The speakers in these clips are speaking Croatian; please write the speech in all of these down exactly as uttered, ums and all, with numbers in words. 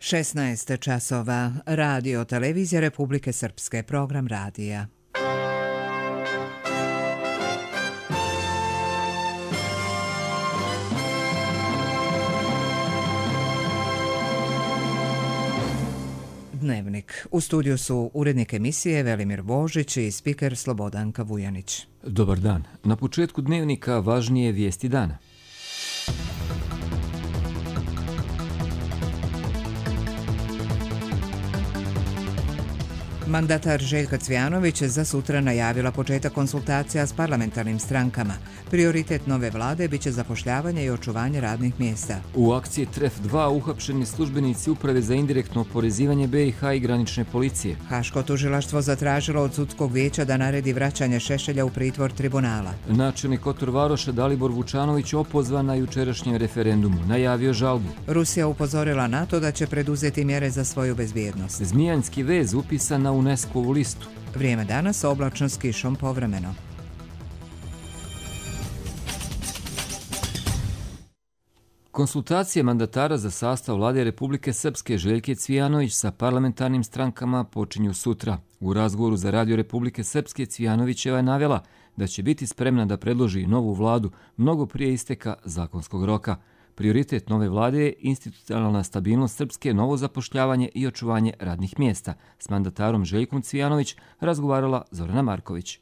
šesnaest časova. Radio Televizija Republike Srpske. Program radija. Dnevnik. U studiju su urednik emisije Velimir Božić i spiker Slobodanka Vujanić. Dobar dan. Na početku dnevnika važnije vijesti dana. Mandatar Željka Cvijanović za sutra najavila početak konsultacija s parlamentarnim strankama. Prioritet nove vlade biće zapošljavanje i očuvanje radnih mjesta. U akciji Tref dva uhapšeni službenici Uprave za indirektno oporezivanje B i H i granične policije. Haško tužilaštvo zatražilo od sudskog vijeća da naredi vraćanje Šešelja u pritvor tribunala. Načelnik Kotor Varoša Dalibor Vučanović opozvan na jučerašnjem referendumu. Najavio žalbu. Rusija upozorila NATO da će preduzeti mjere za svoju bezbjednost. Zmijanski vez upisan na UNESCO-vu listu. Vrijeme danas oblačno s kišom povremeno. Konsultacije mandatara za sastav vlade Republike Srpske Željke Cvijanović sa parlamentarnim strankama počinju sutra. U razgovoru za Radio Republike Srpske Cvijanovićeva je navela da će biti spremna da predloži novu vladu mnogo prije isteka zakonskog roka. Prioritet nove vlade je institucionalna stabilnost Srpske, novo zapošljavanje i očuvanje radnih mjesta. S mandatarom Željkom Cvijanović razgovarala Zorana Marković.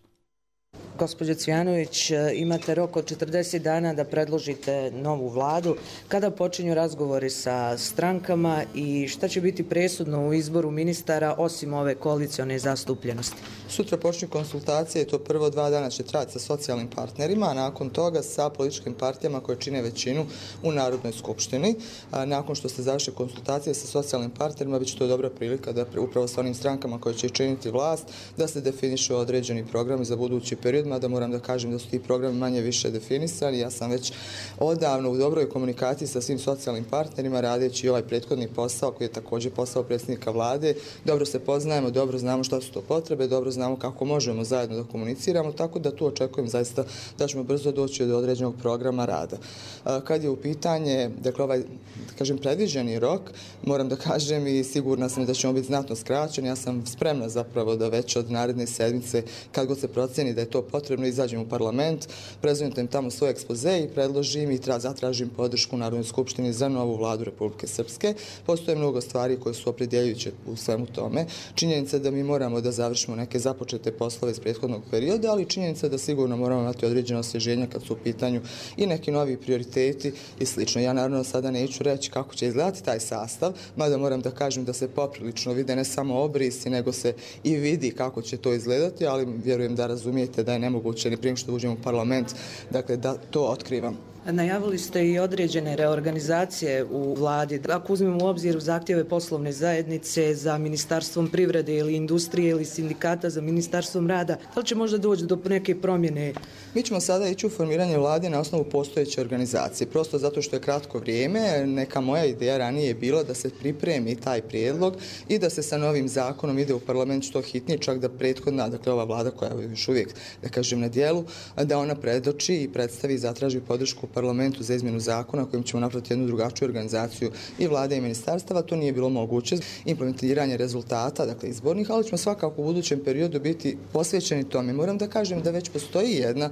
Gospođo Cvijanović, imate rok od četrdeset dana da predložite novu vladu. Kada počinju razgovori sa strankama i šta će biti presudno u izboru ministara osim ove koalicione zastupljenosti? Sutra počinju konsultacije i to prvo dva dana će trajati sa socijalnim partnerima, a nakon toga sa političkim partijama koje čine većinu u Narodnoj skupštini. A nakon što ste završili konsultacije sa socijalnim partnerima, bit će to dobra prilika da upravo sa onim strankama koje će činiti vlast, da se definišu određeni programi za budući period, mada moram da kažem da su ti programi manje više definisani. Ja sam već odavno u dobroj komunikaciji sa svim socijalnim partnerima, radeći ovaj prethodni posao koji je također posao predsjednika vlade. Dobro se poznajemo, dobro znamo šta su to potrebe, dobro znamo kako možemo zajedno da komuniciramo, tako da tu očekujem zaista da ćemo brzo doći do određenog programa rada. Kad je u pitanje, dakle ovaj, da kažem, predviđeni rok, moram da kažem i sigurna sam da ćemo biti znatno skraćeni. Ja sam spremna zapravo da već od naredne sedmice, kad god se proceni da je to potrebno, izađem u parlament, prezentujem tamo svoj ekspoze i predložim i zatražim podršku u Narodnoj skupštini za novu vladu Republike Srpske. Postoje mnogo stvari koje su opredjeljujuće u svemu tome. Činjenica da mi moramo da završimo neke započete poslove iz prethodnog perioda, ali činjenica da sigurno moramo imati određeno osvježenje kad su u pitanju i neki novi prioriteti i slično. Ja naravno sada neću reći kako će izgledati taj sastav, mada moram da kažem da se poprilično vide ne samo obrisi, nego se i vidi kako će to izgledati, ali vjerujem da razumijete da je nemoguće ni prije što uđemo u parlament, dakle da to otkrivam. Najavili ste i određene reorganizacije u vladi. Ako uzmemo u obzir zahtjeve poslovne zajednice za Ministarstvom privrede ili industrije ili sindikata za Ministarstvom rada, da li će možda doći do neke promjene? Mi ćemo sada ići u formiranje vlade na osnovu postojeće organizacije. Prosto zato što je kratko vrijeme, neka moja ideja ranije je bila da se pripremi taj prijedlog i da se sa novim zakonom ide u parlament što hitnije, čak da prethodna, dakle ova vlada koja je još uvijek, da kažem, na dijelu, da ona predoči i predstavi i zatraži podršku parlamentu za izmjenu zakona kojim ćemo napraviti jednu drugačiju organizaciju i vlade i ministarstava. To nije bilo moguće. Implementiranje rezultata, dakle izbornih, ali ćemo svakako u budućem periodu biti posvećeni tome. Moram da kažem da već postoji jedna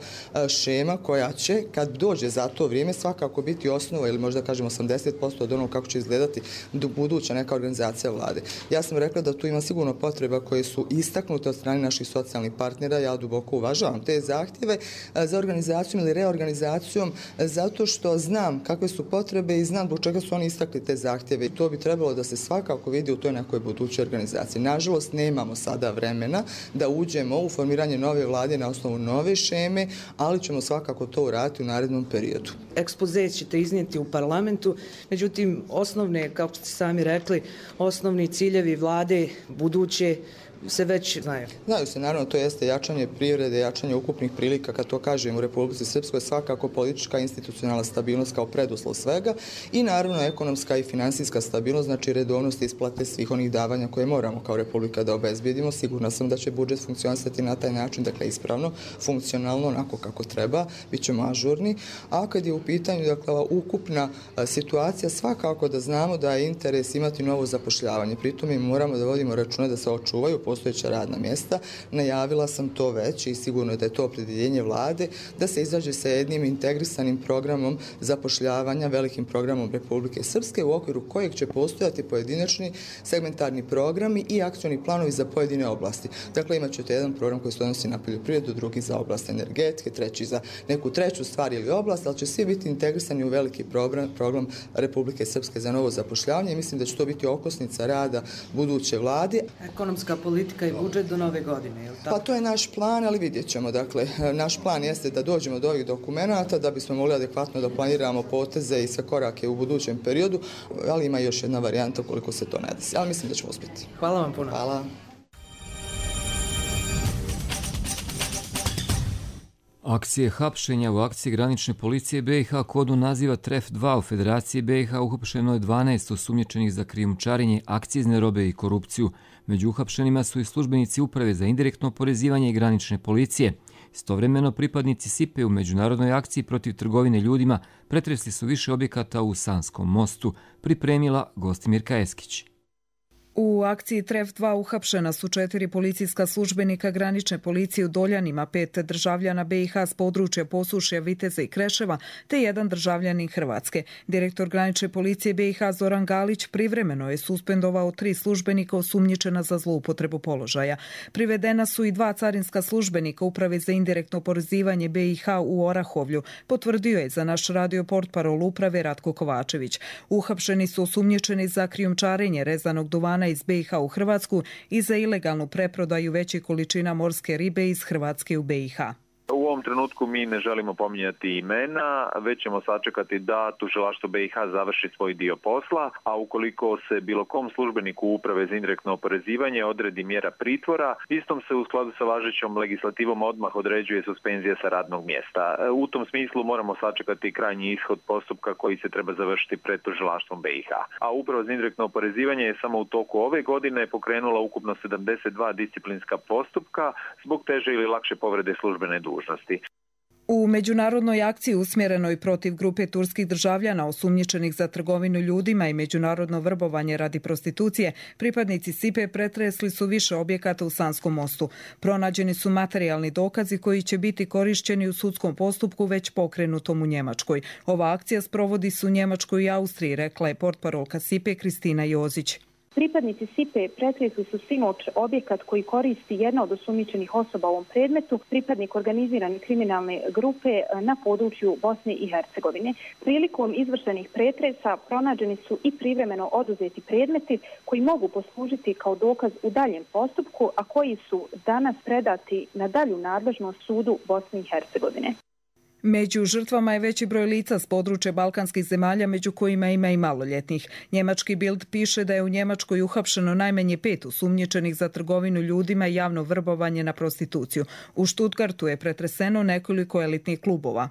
šema koja će, kad dođe za to vrijeme, svakako biti osnova ili možda kažem osamdeset posto od onog kako će izgledati buduća neka organizacija vlade. Ja sam rekla da tu ima sigurno potreba koje su istaknute od strane naših socijalnih partnera. Ja duboko uvažavam te zahtjeve za organizacijom ili reorganizacijom zato što znam kakve su potrebe i znam zbog čega su oni istakli te zahtjeve i to bi trebalo da se svakako vidi u toj nekoj budućoj organizaciji. Nažalost, nemamo sada vremena da uđemo u formiranje nove vlade na osnovu nove šeme, ali ćemo svakako to uraditi u narednom periodu. Ekspoze ćete iznijeti u parlamentu, međutim, osnovne, kako ste sami rekli, osnovni ciljevi vlade buduće se već znaju? Znaju se, naravno, to jeste jačanje privrede, jačanje ukupnih prilika, kad to kažem u Republici Srpskoj, svakako politička institucionalna stabilnost kao preduslov svega i naravno ekonomska i finansijska stabilnost, znači redovnost isplate svih onih davanja koje moramo kao Republika da obezbedimo. Sigurna sam da će budžet funkcionisati na taj način, dakle ispravno, funkcionalno, onako kako treba, bit ćemo ažurni, a kad je u pitanju dakle, ukupna situacija, svakako da znamo da je interes imati novo zapošljavanje. Pritom mi moramo da vodimo računa da se očuvaju postojeća radna mjesta. Najavila sam to već i sigurno da je to opredjeljenje vlade, da se izađe sa jednim integrisanim programom zapošljavanja, velikim programom Republike Srpske, u okviru kojeg će postojati pojedinačni segmentarni programi i akcioni planovi za pojedine oblasti. Dakle, imat ćete jedan program koji se odnosi na poljoprivredu, drugi za oblast energetike, treći za neku treću stvar ili oblast, ali će svi biti integrisani u veliki program, program Republike Srpske za novo zapošljavanje i mislim da će to biti okosnica rada buduće vlade. Ekonomska politika i budžet do nove godine, je li tako? Pa to je naš plan, ali vidjet ćemo. Dakle, naš plan jeste da dođemo do ovih dokumenata da bismo mogli adekvatno da planiramo poteze i sve korake u budućem periodu, ali ima još jedna varijanta koliko se to ne desi. Ali mislim da ćemo uspjeti. Hvala vam puno. Hvala. Akcije hapšenja u akciji granične policije B i H kodu naziva T R E F dva u Federaciji B i H uhapšeno je dvanaest osumnjičenih za krijumčarenje, akcizne robe i korupciju. Među uhapšenima su i službenici Uprave za indirektno oporezivanje i granične policije. Istovremeno pripadnici S I P E u međunarodnoj akciji protiv trgovine ljudima pretresli su više objekata u Sanskom mostu, pripremila Gostimirka Eskić. U akciji T R E F dva uhapšena su četiri policijska službenika granične policije u Doljanima, pet državljana B i H s područja Posušja, Viteza i Kreševa, te jedan državljanin Hrvatske. Direktor granične policije B i H Zoran Galić privremeno je suspendovao tri službenika osumnjičena za zloupotrebu položaja. Privedena su i dva carinska službenika Uprave za indirektno oporezivanje B i H u Orahovlju, potvrdio je za naš radio portparol Uprave Ratko Kovačević. Uhapšeni su osumnjičeni za krijumčarenje rezanog duvana iz B i H u Hrvatsku i za ilegalnu preprodaju većih količina morske ribe iz Hrvatske u B i H. U ovom trenutku mi ne želimo pominjati imena, već ćemo sačekati da tužilaštvo B i H završi svoj dio posla, a ukoliko se bilo kom službeniku Uprave za indirektno oporezivanje odredi mjera pritvora, istom se u skladu sa važećom legislativom odmah određuje suspenzija sa radnog mjesta. U tom smislu moramo sačekati krajnji ishod postupka koji se treba završiti pred tužilaštvom B i H. A Uprava za indirektno oporezivanje je samo u toku ove godine pokrenula ukupno sedamdeset dva disciplinska postupka zbog teže ili lakše povrede službene dužnosti. U međunarodnoj akciji usmjerenoj protiv grupe turskih državljana osumnjičenih za trgovinu ljudima i međunarodno vrbovanje radi prostitucije, pripadnici S I P E pretresli su više objekata u Sanskom mostu. Pronađeni su materijalni dokazi koji će biti korišćeni u sudskom postupku već pokrenutom u Njemačkoj. Ova akcija sprovodi se u Njemačkoj i Austriji, rekla je portparolka S I P E Kristina Jozić. Pripadnici S I P E pretresli su sinoć objekat koji koristi jedna od osumnjičenih osoba u ovom predmetu, pripadnik organizirane kriminalne grupe na području Bosne i Hercegovine. Prilikom izvršenih pretresa pronađeni su i privremeno oduzeti predmeti koji mogu poslužiti kao dokaz u daljem postupku, a koji su danas predati na dalju nadležnost sudu Bosne i Hercegovine. Među žrtvama je veći broj lica s područja balkanskih zemalja, među kojima ima i maloljetnih. Njemački Bild piše da je u Njemačkoj uhapšeno najmanje pet osumnjičenih za trgovinu ljudima i javno vrbovanje na prostituciju. U Stuttgartu je pretreseno nekoliko elitnih klubova.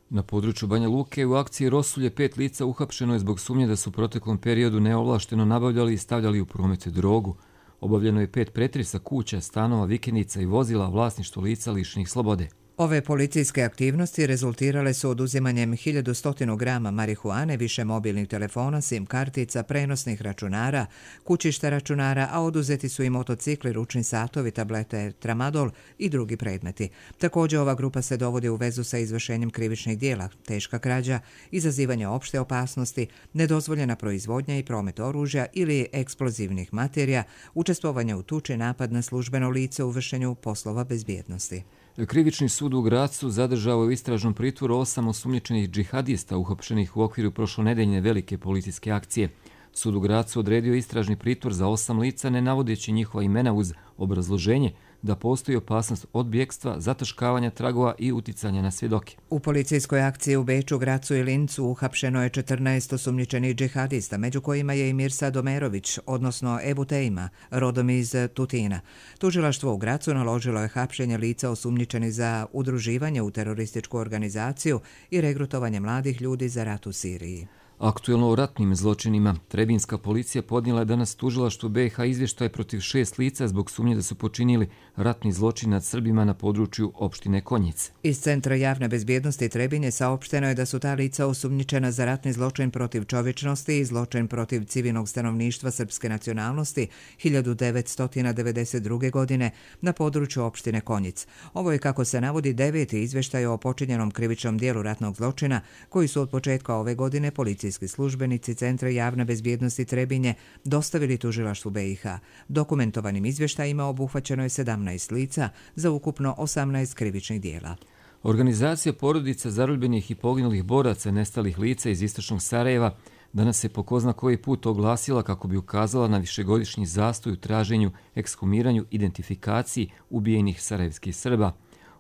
Na području Banja Luke u akciji Rosulje pet lica uhapšeno je zbog sumnje da su u proteklom periodu neovlašteno nabavljali i stavljali u promet drogu. Obavljeno je pet pretresa kuća, stanova, vikendica i vozila, vlasništvo lica lišenih slobode. Ove policijske aktivnosti rezultirale su oduzimanjem hiljadu sto grama marihuane, više mobilnih telefona, sim kartica, prenosnih računara, kućišta računara, a oduzeti su i motocikli, ručni satovi, tablete, tramadol i drugi predmeti. Također ova grupa se dovodi u vezu sa izvršenjem krivičnih dijela, teška krađa, izazivanje opšte opasnosti, nedozvoljena proizvodnja i promet oružja ili eksplozivnih materija, učestvovanje u tuči, napad na službeno lice u vršenju poslova bezbjednosti. Krivični sud u Gracu zadržao u istražnom pritvoru osam osumnjičenih džihadista uhapšenih u okviru prošlonedeljne velike policijske akcije. Sud u Gracu odredio istražni pritvor za osam lica, ne navodeći njihova imena uz obrazloženje da postoji opasnost od bjekstva, zataškavanja tragova i uticanja na svjedoke. U policijskoj akciji u Beču, Gracu i Lincu uhapšeno je četrnaest osumnjičenih džihadista, među kojima je i Mirsad Omerović, odnosno Ebu Tejma, rodom iz Tutina. Tužilaštvo u Gracu naložilo je hapšenje lica osumnjičenih za udruživanje u terorističku organizaciju i regrutovanje mladih ljudi za rat u Siriji. Aktuelno o ratnim zločinima. Trebinska policija podnijela je danas tužilaštvu B i H izvještaj protiv šest lica zbog sumnje da su počinili ratni zločin nad Srbima na području opštine Konjice. Iz Centra javne bezbjednosti Trebinje saopšteno je da su ta lica osumnjičena za ratni zločin protiv čovječnosti i zločin protiv civilnog stanovništva srpske nacionalnosti hiljadu devetsto devedeset druge. godine na području opštine Konjic. Ovo je, kako se navodi, deveti izvještaj o počinjenom krivičnom dijelu ratnog zločina koji su od početka ove godine policijski službenici Centra javne bezbjednosti Trebinje dostavili tužilaštvu B i H. Dokumentovanim izvještajima obuhvaćeno je sedamnaest lica za ukupno osamnaest krivičnih dijela. Organizacija porodica zarobljenih i poginulih boraca nestalih lica iz istočnog Sarajeva danas se po ko zna koji put oglasila kako bi ukazala na višegodišnji zastoj u traženju, ekshumiranju, identifikaciji ubijenih sarajevskih Srba.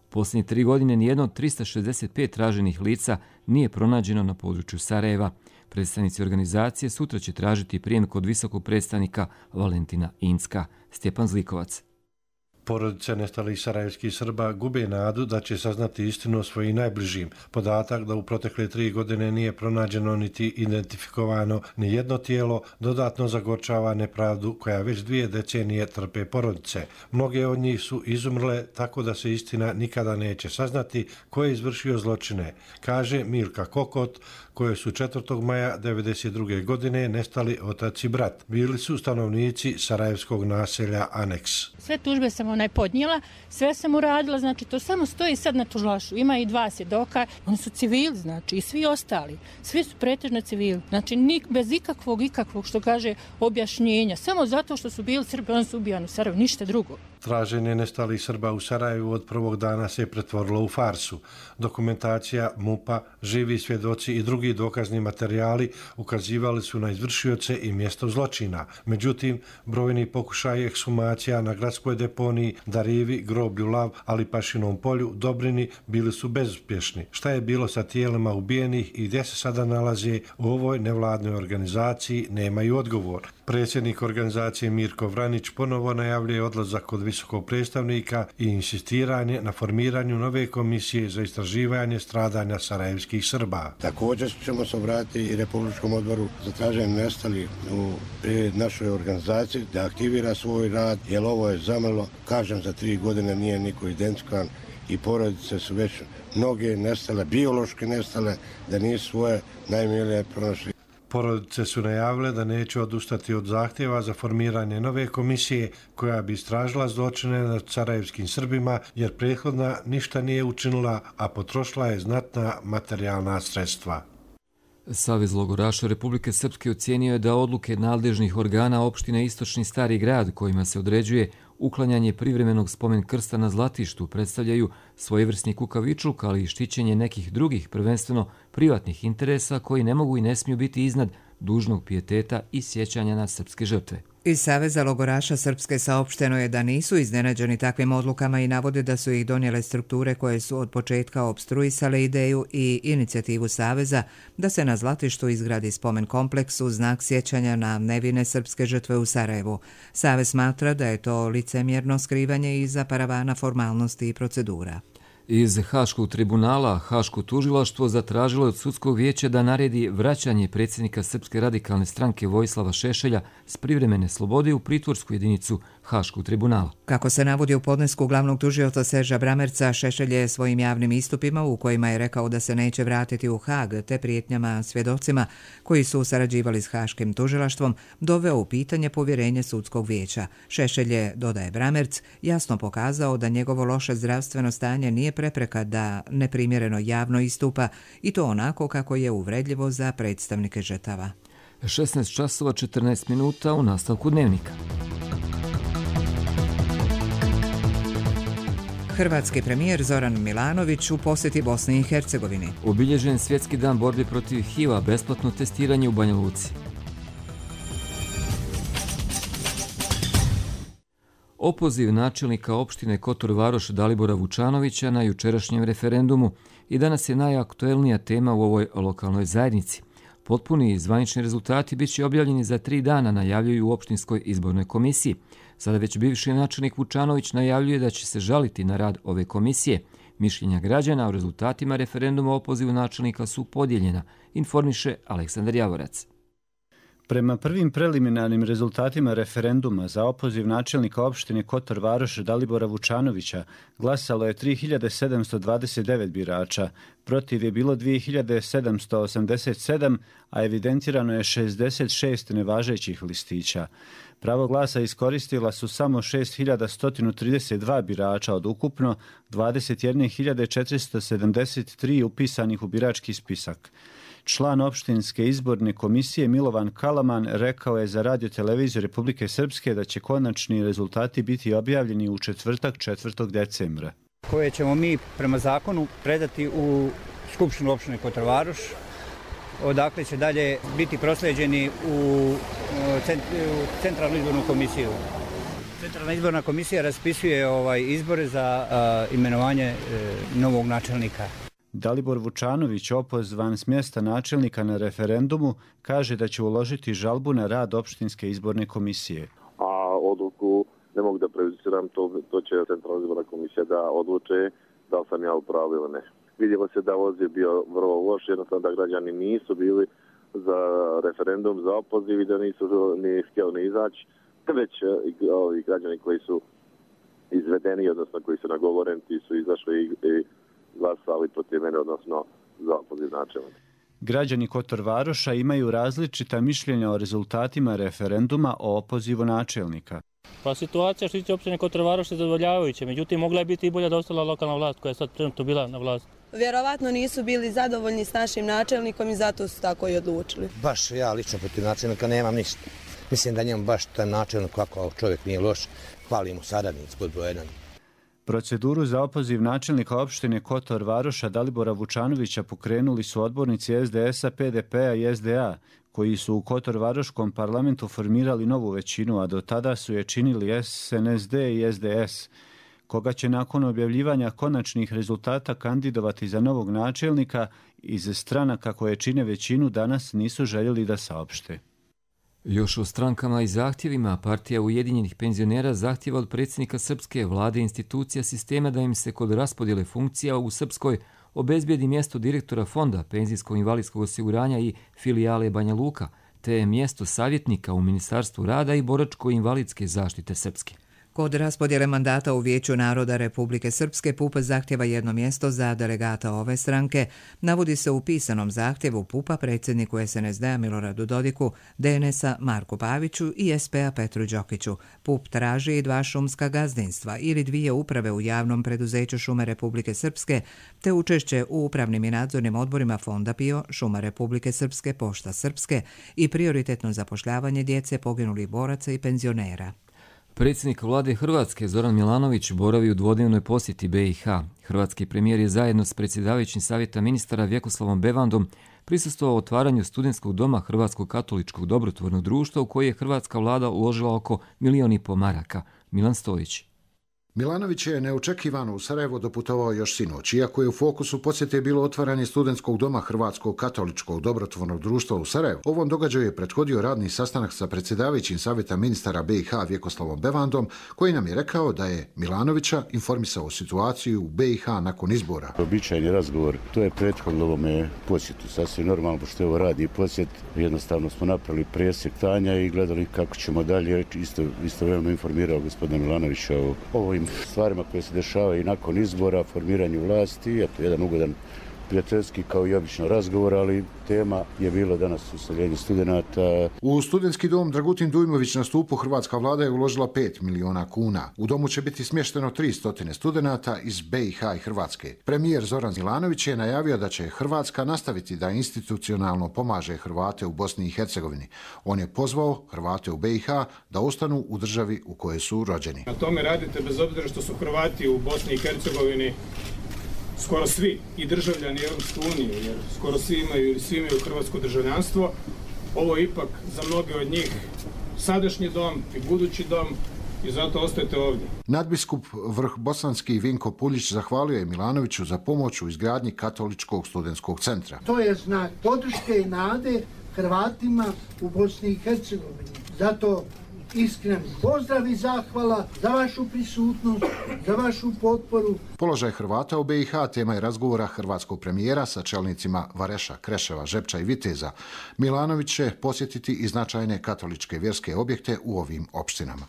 U posljednje tri godine nijedno od trista šezdeset pet traženih lica nije pronađeno na području Sarajeva. Predstavnici organizacije sutra će tražiti prijem kod visokog predstavnika Valentina Incka. Stjepan Zlikovac. Porodice nestalih sarajevskih Srba gube nadu da će saznati istinu o svojim najbližim. Podatak da u protekle tri godine nije pronađeno niti identifikovano ni jedno tijelo dodatno zagorčava nepravdu koja već dvije decenije trpe porodice. Mnoge od njih su izumrle tako da se istina nikada neće saznati ko je izvršio zločine, kaže Milka Kokot, koje su četvrtog maja devedeset druge. godine nestali otac i brat. Bili su stanovnici sarajevskog naselja Aneks. Sve tužbe sam onaj podnijela, sve sam uradila, znači to samo stoji sad na tužilaštvu. Ima i dva svjedoka, oni su civili, znači i svi ostali. Svi su pretežno civili, znači nik, bez ikakvog, ikakvog, što kaže, objašnjenja. Samo zato što su bili Srbi, oni su ubijani u Sarajevu, ništa drugo. Traženje nestalih Srba u Sarajevu od prvog dana se pretvorilo u farsu. Dokumentacija MUP-a, živi svjedoci i drugi dokazni materijali ukazivali su na izvršioce i mjesto zločina. Međutim, brojni pokušaji ekshumacija na gradskoj deponiji, Darivi, groblju Lav, ali Pašinom polju, Dobrini bili su bezuspješni. Šta je bilo sa tijelima ubijenih i gdje se sada nalaze u ovoj nevladnoj organizaciji, nemaju odgovor. Predsjednik organizacije Mirko Vranić ponovo najavljuje odlazak kod visokog predstavnika i insistiranje na formiranju nove komisije za istraživanje stradanja sarajevskih Srba. Također ćemo se obratiti i Republičkom odboru za traženje nestalih u našoj organizaciji da aktivira svoj rad, jer ovo je zamrlo. Kažem, za tri godine nije niko identifikovan i porodice su već mnoge nestale, biološki nestale, da nisu svoje najmilije pronašli. Porodice su najavile da neće odustati od zahtjeva za formiranje nove komisije koja bi istražila zločine nad sarajevskim Srbima, jer prethodna ništa nije učinila, a potrošila je znatna materijalna sredstva. Savez logoraša Republike Srpske ocijenio je da odluke nadležnih organa opštine Istočni Stari grad kojima se određuje uklanjanje privremenog spomen krsta na Zlatištu predstavljaju svojevrsni kukavičluk, ali i štićenje nekih drugih, prvenstveno privatnih interesa koji ne mogu i ne smiju biti iznad dužnog pijeteta i sjećanja na srpske žrtve. Iz Saveza logoraša Srpske saopšteno je da nisu iznenađeni takvim odlukama i navode da su ih donijele strukture koje su od početka opstruisale ideju i inicijativu Saveza da se na Zlatištu izgradi spomen kompleks u znak sjećanja na nevine srpske žrtve u Sarajevu. Savez smatra da je to licemjerno skrivanje iza paravana formalnosti i procedura. Iz Haškog tribunala Haško tužilaštvo zatražilo od sudskog vijeća da naredi vraćanje predsjednika Srpske radikalne stranke Vojislava Šešelja s privremene slobode u pritvorsku jedinicu Haškog tribunala. Kako se navodi u podnesku glavnog tužioca Serža Bramerca, Šešelj je svojim javnim istupima u kojima je rekao da se neće vratiti u Hag te prijetnjama svjedocima koji su sarađivali s Haškim tužilaštvom doveo u pitanje povjerenje sudskog vijeća. Šešelj je, dodaje Bramerc, jasno pokazao da njegovo loše zdravstveno stanje nije prepreka da neprimjereno javno istupa i to onako kako je uvredljivo za predstavnike žrtava. šesnaest časova četrnaest minuta u nastavku dnevnika. Hrvatski premijer Zoran Milanović u posjeti Bosni i Hercegovini. Obilježen svjetski dan borbe protiv H I V-a, besplatno testiranje u Banja Luci. opoziv načelnika opštine Kotor Varoš Dalibora Vučanovića na jučerašnjem referendumu i danas je najaktuelnija tema u ovoj lokalnoj zajednici. Potpuni zvanični rezultati bit će objavljeni za tri dana, najavljuju u opštinskoj izbornoj komisiji. Sada već bivši načelnik Vučanović najavljuje da će se žaliti na rad ove komisije. Mišljenja građana o rezultatima referenduma o opozivu načelnika su podijeljena, informiše Aleksandar Javorac. Prema prvim preliminarnim rezultatima referenduma za opoziv načelnika opštine Kotor Varoš Dalibora Vučanovića glasalo je tri hiljade sedamsto dvadeset devet birača, protiv je bilo dvije hiljade sedamsto osamdeset sedam, a evidentirano je šezdeset šest nevažećih listića. Pravo glasa iskoristila su samo šest hiljada sto trideset dva birača od ukupno dvadeset jedne hiljade četiristo sedamdeset tri upisanih u birački spisak. Član opštinske izborne komisije Milovan Kalaman rekao je za Radio televiziju Republike Srpske da će konačni rezultati biti objavljeni u četvrtak četvrtog decembra. Koje ćemo mi prema zakonu predati u Skupštinu opštine Kotor Varoš, odakle će dalje biti prosleđeni u Centralnu izbornu komisiju. Centralna izborna komisija raspisuje ovaj izbore za a, imenovanje e, novog načelnika. Dalibor Vučanović, opozvan s mjesta načelnika na referendumu, kaže da će uložiti žalbu na rad opštinske izborne komisije. A odluku ne mogu da prejudiciram, to, to će Centralna izborna komisija da odluče da li sam ja u pravu ili ne. Vidjelo se da voz je bio vrlo loš, jednostavno da građani nisu bili za referendum, za opoziv i da nisu ni htjeli ni izaći, već ovi građani koji su izvedeni, odnosno koji su nagovoreni, ti su izašli i, i glasali protiv mene, odnosno za opoziv načelnika. Građani Kotor Varoša imaju različita mišljenja o rezultatima referenduma o opozivu načelnika. Pa situacija što tiče opštine Kotor Varoš je zadovoljavajuća, međutim mogla je biti i bolja da ostala lokalna vlast koja je sad trenutno bila na vlasti. Vjerovatno nisu bili zadovoljni s našim načelnikom i zato su tako i odlučili. Baš ja lično protiv načelnika nemam ništa. Mislim da njemu baš taj načelnik kako čovjek nije loš, hvali mu saradnic pod broj jedan. Proceduru za opoziv načelnika opštine Kotor Varoša Dalibora Vučanovića pokrenuli su odbornici es de es a, pe de pe-a i es de a, koji su u Kotor Varoškom parlamentu formirali novu većinu, a do tada su je činili es en es de i es de es, koga će nakon objavljivanja konačnih rezultata kandidovati za novog načelnika iz stranaka koje čine većinu danas nisu željeli da saopšte. Još o strankama i zahtjevima, partija Ujedinjenih penzionera zahtjeva od predsjednika srpske vlade i institucija sistema da im se kod raspodjele funkcija u Srpskoj obezbijedi mjesto direktora fonda penzijsko-invalidskog osiguranja i filijale Banja Luka, te mjesto savjetnika u Ministarstvu rada i boračko-invalidske zaštite Srpske. Kod raspodjele mandata u Vijeću naroda Republike Srpske P U P zahtjeva jedno mjesto za delegata ove stranke. Navodi se u pisanom zahtjevu P U P-a predsjedniku es en es de-a Miloradu Dodiku, de en es a Marku Paviću i es pe-a Petru Đokiću. P U P traži i dva šumska gazdinstva ili dvije uprave u javnom preduzeću Šume Republike Srpske, te učešće u upravnim i nadzornim odborima Fonda P I O, Šuma Republike Srpske, Pošta Srpske i prioritetno zapošljavanje djece poginulih boraca i penzionera. Predsjednik vlade Hrvatske Zoran Milanović boravi u dvodnevnoj posjeti be i ha. Hrvatski premijer je zajedno s predsjedavajućim savjeta ministara Vjekoslavom Bevandom prisustvovao otvaranju studentskog doma Hrvatskog katoličkog dobrotvornog društva u koji je hrvatska vlada uložila oko milijon i po maraka. Milan Stojić. Milanović je neočekivano u Sarajevo doputovao još sinoć, iako je u fokusu posjete bilo otvaranje studentskog doma Hrvatskog katoličkog dobrotvornog društva u Sarajevu. Ovom događaju je prethodio radni sastanak sa predsjedavajućim savjeta ministara be i ha Vjekoslavom Bevandom, koji nam je rekao da je Milanovića informisao o situaciji u be i ha nakon izbora. Običajni razgovor, to je prethodilo ovome posjetu, sasvim normalno, pošto je ovo radni posjet. Jednostavno smo napravili presjek stanja i gledali kako ćemo dalje. Isto, istovremeno informirao gospodina Milanovića o ovim stvarima koje se dešavaju i nakon izbora, formiranju vlasti. Eto, jedan ugodan prijateljski kao i obično razgovor, ali tema je bilo danas useljenje studenata. U studentski dom Dragutin Dujmović na Stupu hrvatska vlada je uložila pet miliona kuna. U domu će biti smješteno tristo studenata iz be i ha i Hrvatske. Premijer Zoran Milanović je najavio da će Hrvatska nastaviti da institucionalno pomaže Hrvate u Bosni i Hercegovini. On je pozvao Hrvate u be i ha da ostanu u državi u kojoj su rođeni. Na tome radite bez obzira što su Hrvati u Bosni i Hercegovini skoro svi i državljani Europske unije, jer skoro svi imaju ili svi imaju hrvatsko državljanstvo. Ovo je ipak za mnoge od njih sadašnji dom i budući dom i zato ostajete ovdje. Nadbiskup Vrh Bosanski Vinko Puljić zahvalio je Milanoviću za pomoć u izgradnji Katoličkog studentskog centra. To je znak podrške i nade Hrvatima u Bosni i Hercegovini. Zato iskren pozdrav i zahvala za vašu prisutnost, za vašu potporu. Položaj Hrvata u B i H tema je razgovora hrvatskog premijera sa čelnicima Vareša, Kreševa, Žepča i Viteza. Milanović će posjetiti i značajne katoličke vjerske objekte u ovim opštinama.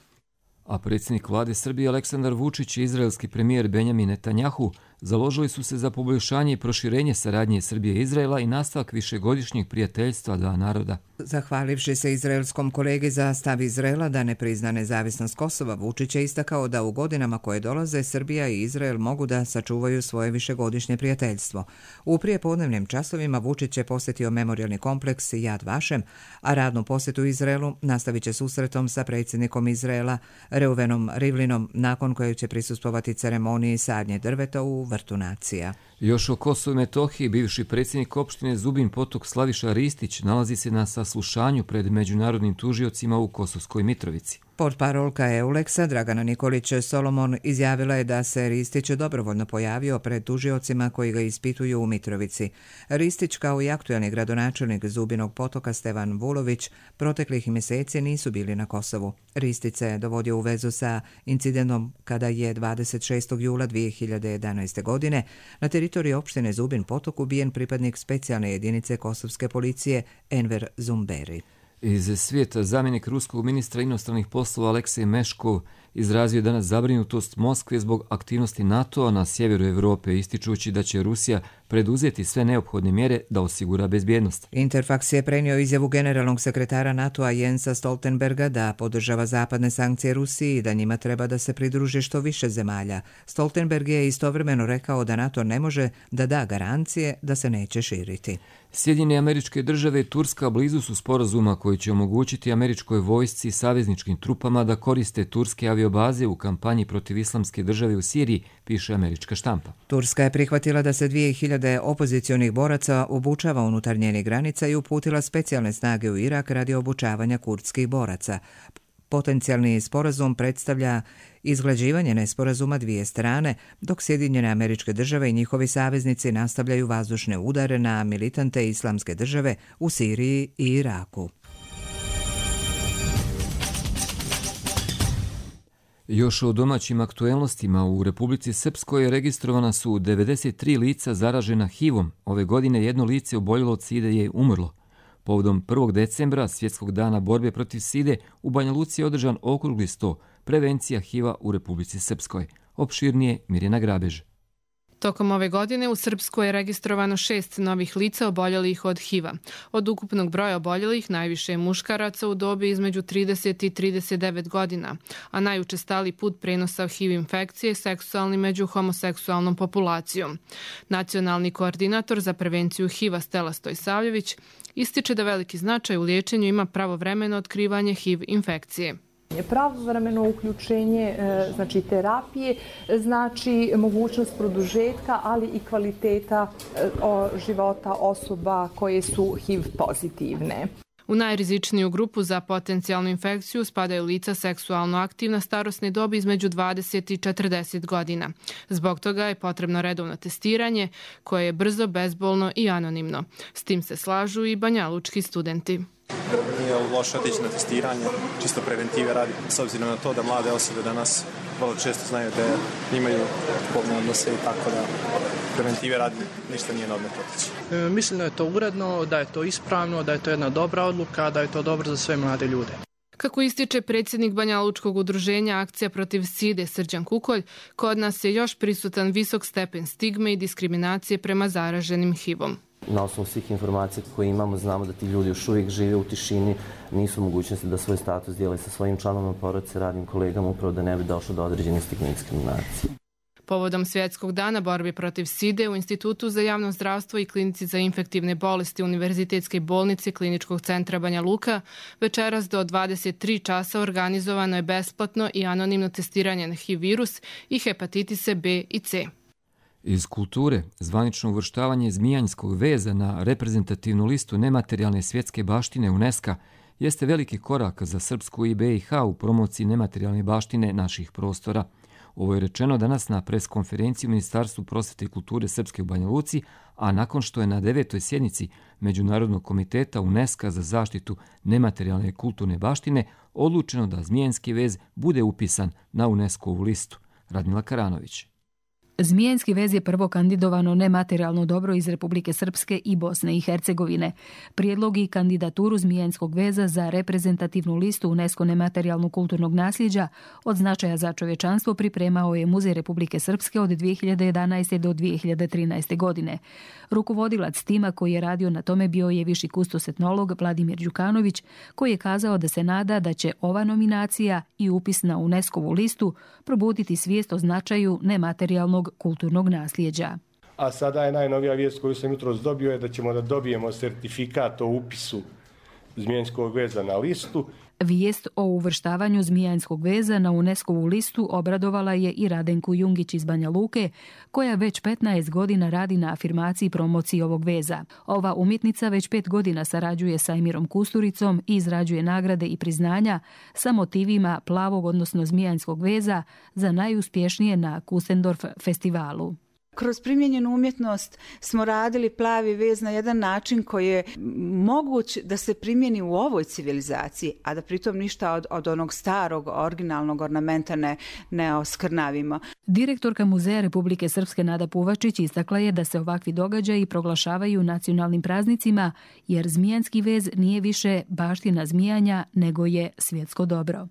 A predsjednik vlade Srbije Aleksandar Vučić i izraelski premijer Benjamin Netanjahu založili su se za poboljšanje i proširenje saradnje Srbije i Izraela i nastavak višegodišnjeg prijateljstva dva naroda. Zahvalivši se izraelskom kolegi za stav Izraela da ne prizna nezavisnost Kosova, Vučić je istakao da u godinama koje dolaze Srbija i Izrael mogu da sačuvaju svoje višegodišnje prijateljstvo. U prijepodnevnim časovima Vučić je posjetio memorijalni kompleks Yad Vashem, a radnu posjetu Izraelu nastavit će susretom sa predsjednikom Izraela Reuvenom Rivlinom, nakon koje će prisustvovati ceremoniji sadnje drveta u Vrtu nacija. Još o Kosovu i Metohiji bivši predsjednik opštine Zubin Potok Slaviša Ristić nalazi se na saslušanju pred međunarodnim tužiocima u Kosovskoj Mitrovici. Portparolka Euleksa Dragana Nikolić Solomon izjavila je da se Ristić dobrovoljno pojavio pred tužiocima koji ga ispituju u Mitrovici. Ristić, kao i aktuelni gradonačelnik Zubinog Potoka Stevan Vulović, proteklih mjeseci nisu bili na Kosovu. Ristić se dovodio u vezu sa incidentom kada je dvadeset šestog jula dvije hiljade jedanaeste. godine na teritoriji opštine Zubin Potok ubijen pripadnik specijalne jedinice kosovske policije Enver Zumberi. Iz svijeta zamjenik ruskog ministra inostranih poslova Aleksej Meškov izrazio danas zabrinutost Moskve zbog aktivnosti NATO-a na sjeveru Evrope, ističući da će Rusija preduzeti sve neophodne mjere da osigura bezbjednost. Interfax je prenio izjavu generalnog sekretara NATO-a Jensa Stoltenberga da podržava zapadne sankcije Rusiji i da njima treba da se pridruži što više zemalja. Stoltenberg je istovremeno rekao da NATO ne može da da garancije da se neće širiti. Sjedinjene Američke Države i Turska blizu su sporazuma koji će omogućiti američkoj vojsci i savezničkim trupama da koriste turske aviobaze u kampanji protiv Islamske države u Siriji, piše američka štampa. Turska je prihvatila da se dvije hiljade opozicionih boraca obučava unutar njenih granica i uputila specijalne snage u Irak radi obučavanja kurdskih boraca. Potencijalni sporazum predstavlja izglađivanje nesporazuma dvije strane, dok Sjedinjene Američke Države i njihovi saveznici nastavljaju vazdušne udare na militante Islamske države u Siriji i Iraku. Još o domaćim aktuelnostima, u Republici Srpskoj registrovana su devedeset tri lica zaražena H I V-om. Ove godine jedno lice oboljelo od side je umrlo. Povodom prvog decembra, Svjetskog dana borbe protiv side, u Banja Luci je održan okrugli sto, prevencija H I V-a u Republici Srpskoj. Opširnije Mirjana Grabež. Tokom ove godine u Srpskoj je registrovano šest novih lica oboljelih od H I V-a. Od ukupnog broja oboljelih najviše je muškaraca u dobi između trideset i trideset devet godina, a najučestaliji put prenosa H I V infekcije je seksualni među homoseksualnom populacijom. Nacionalni koordinator za prevenciju H I V-a Stela Stojsavljević ističe da veliki značaj u liječenju ima pravovremeno otkrivanje H I V infekcije. Pravovremeno uključenje znači terapije znači mogućnost produžetka, ali i kvaliteta života osoba koje su H I V pozitivne. U najrizičniju grupu za potencijalnu infekciju spadaju lica seksualno aktivna starosne dobi između dvadeset i četrdeset godina. Zbog toga je potrebno redovno testiranje koje je brzo, bezbolno i anonimno. S tim se slažu i banjalučki studenti. Nije loše otići na testiranje, čisto preventive radi, s obzirom na to da mlade osobe danas vrlo često znaju da imaju spolne odnose i tako da preventive radi ništa nije na odmet otići. E, mislim da je to uredno, da je to ispravno, da je to jedna dobra odluka, da je to dobro za sve mlade ljude. Kako ističe predsjednik Banjalučkog udruženja Akcija protiv side Srđan Kukolj, kod nas je još prisutan visok stepen stigme i diskriminacije prema zaraženim H I V-om. Na osnovu svih informacija koje imamo, znamo da ti ljudi još uvijek žive u tišini, nisu mogućnosti da svoj status dijele sa svojim članovima porodice, radnim kolegama, upravo da ne bi došlo do određene stigme i diskriminacije. Povodom Svjetskog dana borbe protiv side u Institutu za javno zdravstvo i Klinici za infektivne bolesti Univerzitetske bolnice Kliničkog centra Banja Luka, večeras do dvadeset tri časa organizovano je besplatno i anonimno testiranje na H I V virus i hepatitise B i C. Iz kulture, zvanično uvrštavanje zmijanjskog veza na reprezentativnu listu nematerijalne svjetske baštine UNESCO jeste veliki korak za Srpsku i B i H u promociji nematerijalne baštine naših prostora. Ovo je rečeno danas na preskonferenciji u Ministarstvu prosvete i kulture Srpske u Banja Luci, a nakon što je na devetoj sjednici Međunarodnog komiteta UNESCO za zaštitu nematerijalne kulturne baštine odlučeno da Zmijenski vez bude upisan na UNESCO-vu listu. Radmila Karanović. Zmijenski vez je prvo kandidovano nematerijalno dobro iz Republike Srpske i Bosne i Hercegovine. Prijedlog i kandidaturu Zmijenskog veza za reprezentativnu listu UNESCO nematerijalnog kulturnog nasljeđa od značaja za čovječanstvo pripremao je Muzej Republike Srpske od dvije hiljade jedanaeste. do dvije hiljade trinaeste. godine. Rukovodilac tima koji je radio na tome bio je viši kustos etnolog Vladimir Đukanović, koji je kazao da se nada da će ova nominacija i upis na UNESCO-vu listu probuditi svijest o značaju nematerijalnog kulturnog nasljeđa. A sada je najnovija vijest koju sam jutros dobio je da ćemo da dobijemo sertifikat o upisu Zmijenskog veza na listu. Vijest o uvrštavanju Zmijanskog veza na UNESCO-vu listu obradovala je i Radenku Jungić iz Banja Luke, koja već petnaest godina radi na afirmaciji i promociji ovog veza. Ova umjetnica već pet godina sarađuje sa Emirom Kusturicom i izrađuje nagrade i priznanja sa motivima plavog, odnosno zmijanskog veza za najuspješnije na Kusendorf festivalu. Kroz primijenjenu umjetnost smo radili plavi vez na jedan način koji je moguć da se primjeni u ovoj civilizaciji, a da pritom ništa od, od onog starog, originalnog ornamenta ne, ne oskrnavimo. Direktorka Muzeja Republike Srpske Nada Puvačić istakla je da se ovakvi događaji proglašavaju nacionalnim praznicima, jer zmijanski vez nije više baština zmijanja, nego je svjetsko dobro.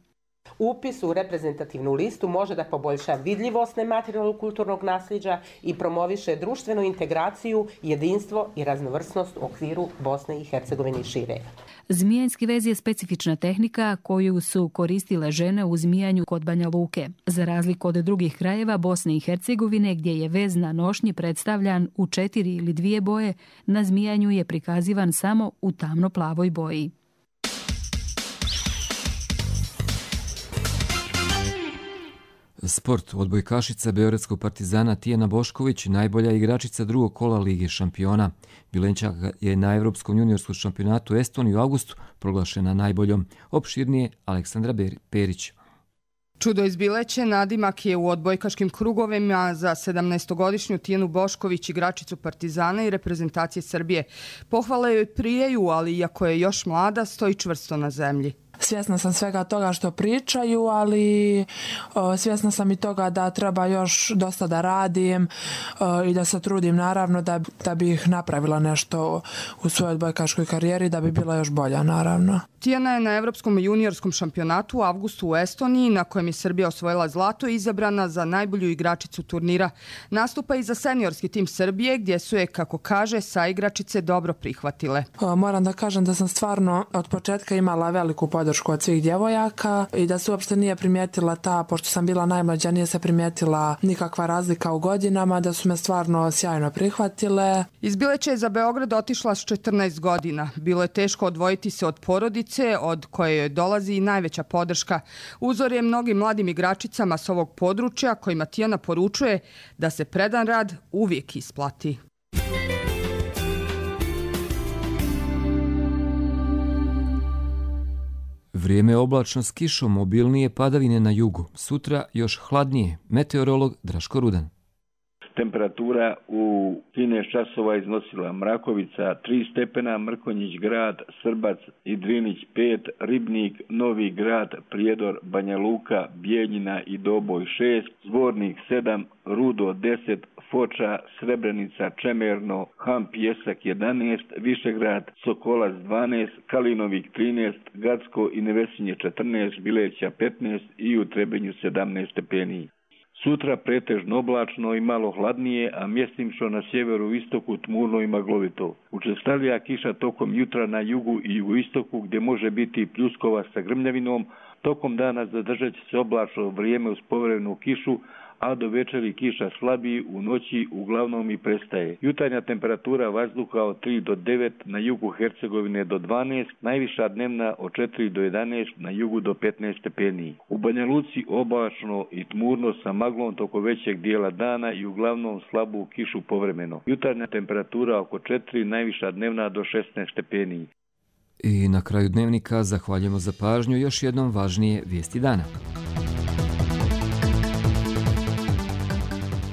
Upis u reprezentativnu listu može da poboljša vidljivost nematerijalnog kulturnog nasljeđa i promoviše društvenu integraciju, jedinstvo i raznovrsnost u okviru Bosne i Hercegovine i šire. Zmijanski vez je specifična tehnika koju su koristile žene u zmijanju kod Banja Luke. Za razliku od drugih krajeva Bosne i Hercegovine, gdje je vez na nošnji predstavljan u četiri ili dvije boje, na zmijanju je prikazivan samo u tamno-plavoj boji. Sport. Odbojkašica beogradskog Partizana Tijana Bošković, najbolja igračica drugog kola Lige šampiona. Bilenčaka je na Evropskom juniorskom šampionatu Estoniji u avgustu proglašena najboljom. Opširnije Aleksandra Perić. Čudo iz Bileće nadimak je u odbojkaškim krugovima za sedamnaestogodišnju Tijanu Bošković, igračicu Partizana i reprezentacije Srbije. Pohvale joj prijeju, ali iako je još mlada, stoji čvrsto na zemlji. Svjesna sam svega toga što pričaju, ali o, svjesna sam i toga da treba još dosta da radim o, i da se trudim naravno da, da bih napravila nešto u svojoj odbojkaškoj karijeri, da bi bila još bolja naravno. Tijana je na Evropskom juniorskom šampionatu u avgustu u Estoniji, na kojem je Srbija osvojila zlato, izabrana za najbolju igračicu turnira. Nastupa i za seniorski tim Srbije, gdje su je, kako kaže, saigračice dobro prihvatile. O, moram da kažem da sam stvarno od početka imala veliku podršku od svih djevojaka i da se uopšte nije primijetila ta, pošto sam bila najmlađa, nije se primijetila nikakva razlika u godinama, da su me stvarno sjajno prihvatile. Iz Bileća je za Beograd otišla s četrnaest godina. Bilo je teško odvojiti se od porodice, od koje joj dolazi i najveća podrška. Uzor je mnogim mladim igračicama s ovog područja, kojima Tijana poručuje da se predan rad uvijek isplati. Vrijeme je oblačno s kišom, mobilnije padavine na jugu. Sutra još hladnije. Meteorolog Draško Rudan. Temperatura u trinaest časova iznosila Mrakovica tri stepena, Mrkonjić grad, Srbac i Drinić pet, Ribnik, Novi grad, Prijedor, Banja Luka, Bijeljina i Doboj šest, Zvornik sedam, Rudo deset, Foča, Srebrenica, Čemerno, Ham, Pjesak jedanaest, Višegrad, Sokolac dvanaest, Kalinovik trinaest, Gacko i Nevesinje četrnaest, Bileća petnaest i u Trebinju sedamnaest stepeni. Sutra pretežno oblačno i malo hladnije, a mjestimčno na sjeveru istoku tmurno i maglovito. Učestalija kiša tokom jutra na jugu i jugoistoku gdje može biti pljuskova sa grmljavinom. Tokom dana zadržat će se oblačno vrijeme uz povremenu kišu, a do večeri kiša slabiji, u noći uglavnom i prestaje. Jutarnja temperatura vazduha od tri do devet, na jugu Hercegovine do dvanaest, najviša dnevna od četiri do jedanaest, na jugu do petnaest stepeni. U Banja Luci oblačno i tmurno sa maglom toko većeg dijela dana i uglavnom slabu kišu povremeno. Jutarnja temperatura oko četiri, najviša dnevna do šesnaest stepeni. I na kraju dnevnika zahvaljujemo za pažnju, još jednom važnije vijesti dana.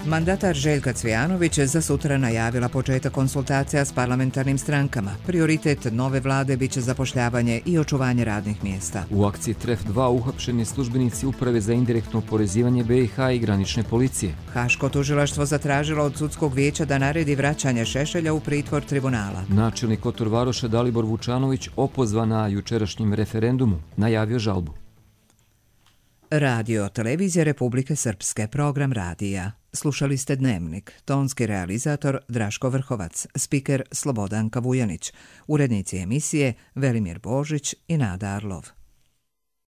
Mandatar Željka Cvijanović za sutra najavila početak konsultacija s parlamentarnim strankama. Prioritet nove vlade biće zapošljavanje i očuvanje radnih mjesta. U akciji T R E F dva uhapšeni službenici Uprave za indirektno oporezivanje B i H i granične policije. Haško tužilaštvo zatražilo od sudskog vijeća da naredi vraćanje Šešelja u pritvor tribunala. Načelnik Kotor Varoša Dalibor Vučanović opozvan na jučerašnjem referendumu, najavio žalbu. Radio Televizija Republike Srpske, program radija. Slušali ste Dnevnik, tonski realizator Draško Vrhovac, spiker Slobodan Kavujanić, urednici emisije Velimir Božić i Nada Arlov.